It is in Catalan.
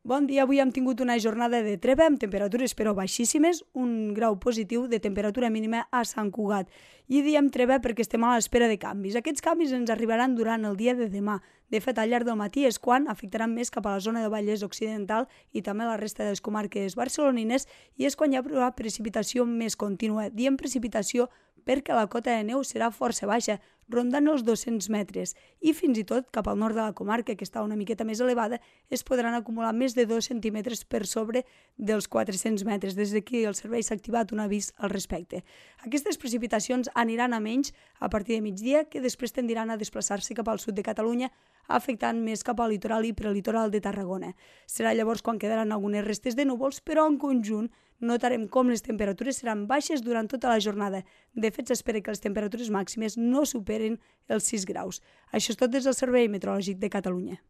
Bon dia, avui hem tingut una jornada de treva amb temperatures però baixíssimes, un grau positiu de temperatura mínima a Sant Cugat. I diem treva perquè estem a l'espera de canvis. Aquests canvis ens arribaran durant el dia de demà. De fet, al llarg del matí és quan afectaran més cap a la zona de Vallès Occidental i també a la resta de les comarques barcelonines i és quan hi haurà precipitació més contínua. Diem precipitació perquè la cota de neu serà força baixa, rondant els 200 metres, i fins i tot cap al nord de la comarca, que està una miqueta més elevada, es podran acumular més de 2 centímetres per sobre dels 400 metres. Des d'aquí el servei s'ha activat un avís al respecte. Aquestes precipitacions aniran a menys a partir de migdia, que després tendiran a desplaçar-se cap al sud de Catalunya, afectant més cap al litoral i prelitoral de Tarragona. Serà llavors quan quedaran algunes restes de núvols, però en conjunt notarem com les temperatures seran baixes durant tota la jornada. De fet, s'espera que les temperatures màximes no superen els 6 graus. Això és tot des del Servei Meteorològic de Catalunya.